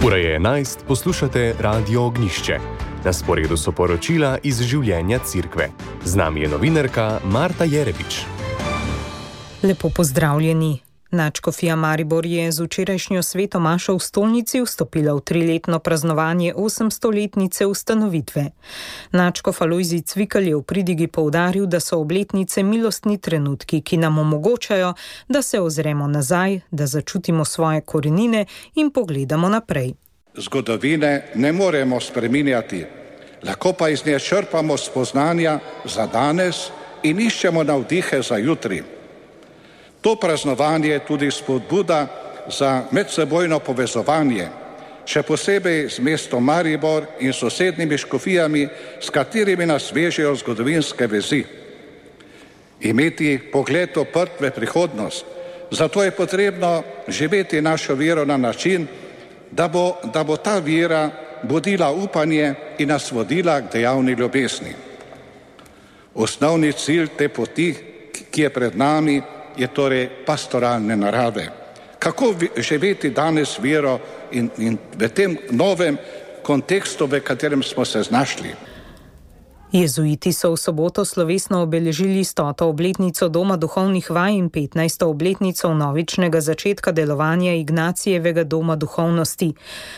Ura je 11, poslušate Radio Ognjišče. Na sporedu so poročila iz življenja Cerkve. Z nami je novinarka Marta Jerebič. Lepo pozdravljeni. Nadškofija Maribor je z včerajšnjo sveto mašo v stolnici vstopila v 3-letno praznovanje 800-letnice ustanovitve. Nadškof Alojzij Cvikl je v pridigi poudaril, da so obletnice milostni trenutki, ki nam omogočajo, da se ozremo nazaj, da začutimo svoje korenine in pogledamo naprej. Zgodovine ne moremo spreminjati, lahko pa iz nje črpamo spoznanja za danes in iščemo navdihe za jutri. To praznovanje je tudi spodbuda za medsebojno povezovanje, še posebej z mestom Maribor in sosednjimi škofijami, s katerimi nas vežejo zgodovinske vezi. Imeti pogled oprt v prihodnost, zato je potrebno živeti našo vero na način, da bo ta vera budila upanje in nas vodila k dejavni ljubezni. Osnovni cilj te poti, ki je pred nami, je torej pastoralne narave. Kako živeti danes vero in v tem novem kontekstu, v katerem smo se znašli? Jezuiti so v soboto slovesno obeležili 100. obletnico Doma duhovnih vaj in 15. obletnico vnovičnega začetka delovanja Ignacijevega doma duhovnosti.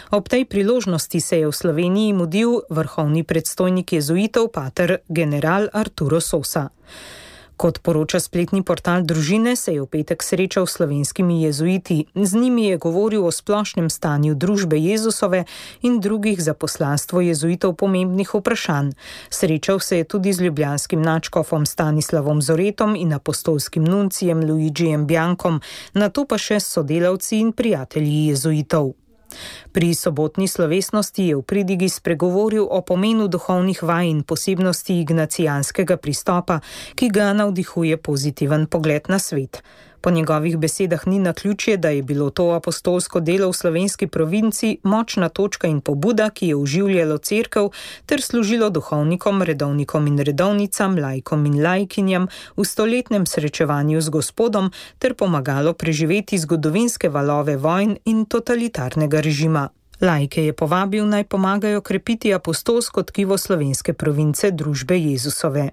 Ob tej priložnosti se je v Sloveniji mudil vrhovni predstojnik jezuitov pater general Arturo Sosa. Kot poroča spletni portal Družine, se je v petek srečal s slovenskimi jezuiti. Z njimi je govoril o splošnem stanju družbe Jezusove in drugih za poslanstvo jezuitov pomembnih vprašanj. Srečal se je tudi z ljubljanskim nadškofom Stanislavom Zoretom in apostolskim nuncijem Luigijem Biankom, nato pa še s sodelavci in prijatelji jezuitov. Pri sobotni slovesnosti je v pridigi spregovoril o pomenu duhovnih vaj in posebnosti ignacijanskega pristopa, ki ga navdihuje pozitiven pogled na svet. Po njegovih besedah ni naključje, da je bilo to apostolsko delo v slovenski provinci močna točka in pobuda, ki je oživljalo cerkev ter služilo duhovnikom, redovnikom in redovnicam, laikom in laikinjam v stoletnem srečevanju z Gospodom ter pomagalo preživeti zgodovinske valove vojn in totalitarnega režima. Laike je povabil, naj pomagajo krepiti apostolsko tkivo slovenske province družbe Jezusove.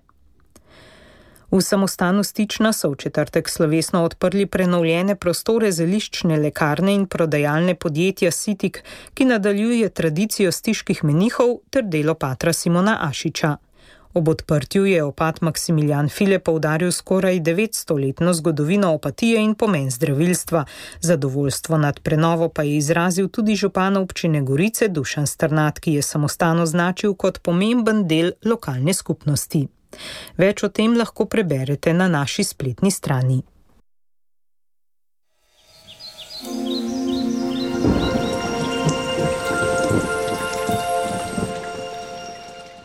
V samostanu Stična so v četrtek slovesno odprli prenovljene prostore zeliščne lekarne in prodajalne podjetja Sitik, ki nadaljuje tradicijo stiških menihov ter delo patra Simona Ašiča. Ob odprtju je opat Maksimilijan File poudaril skoraj 900-letno zgodovino opatije in pomen zdravilstva. Zadovoljstvo nad prenovo pa je izrazil tudi župan občine Gorice Dušan Strnad, ki je samostan označil kot pomemben del lokalne skupnosti. Več o tem lahko preberete na naši spletni strani.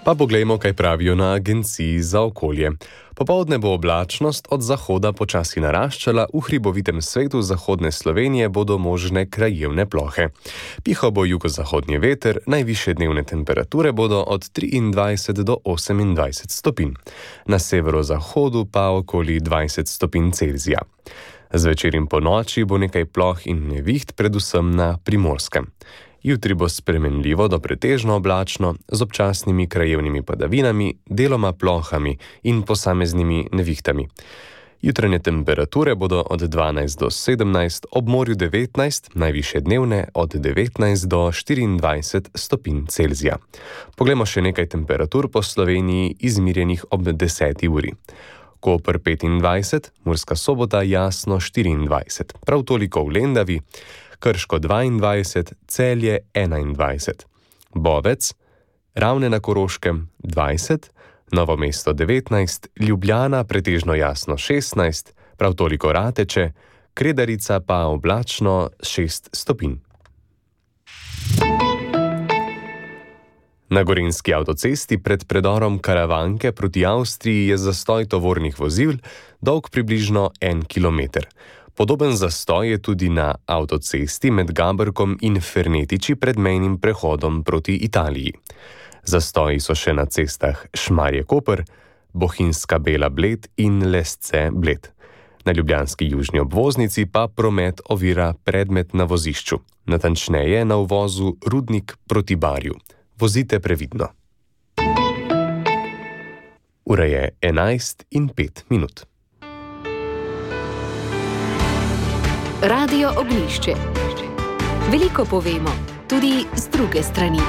Pa poglejmo, kaj pravijo na Agenciji za okolje. Popoldne bo oblačnost od zahoda počasi naraščala, v hribovitem svetu zahodne Slovenije bodo možne krajevne plohe. Pihal bo jugozahodni veter, najvišje dnevne temperature bodo od 23 do 28 stopinj. Na severozahodu pa okoli 20 stopinj Celzija. Zvečer in ponoči bo nekaj ploh in neviht, predvsem na Primorskem. Jutri bo spremenljivo do pretežno oblačno, z občasnimi krajevnimi padavinami, deloma plohami in posameznimi nevihtami. Jutranje temperature bodo od 12 do 17, ob morju 19, najvišje dnevne od 19 do 24 stopinj Celzija. Poglejmo še nekaj temperatur po Sloveniji izmirjenih ob 10. uri. Koper 25, Murska Sobota jasno 24, prav toliko v Lendavi, Krško 22, Celje 21, Bovec, Ravne na Koroškem 20, Novo mesto 19, Ljubljana pretežno jasno 16, prav toliko Rateče, Kredarica pa oblačno 6 stopinj. Na gorenjski avtocesti pred predorom Karavanke proti Avstriji je zastoj tovornih vozil, dolg približno 1 kilometer. Podoben zastoj je tudi na avtocesti med Gaberkom in Fernetiči pred mejnim prehodom proti Italiji. Zastoji so še na cestah Šmarje-Koper, Bohinjska Bela-Bled in Lesce-Bled. Na ljubljanski južni obvoznici pa promet ovira predmet na vozišču, natančneje na uvozu Rudnik proti Barju. Vozite previdno. Ura je 11:05. Radio Ognjišče. Veliko povemo, tudi z druge strani.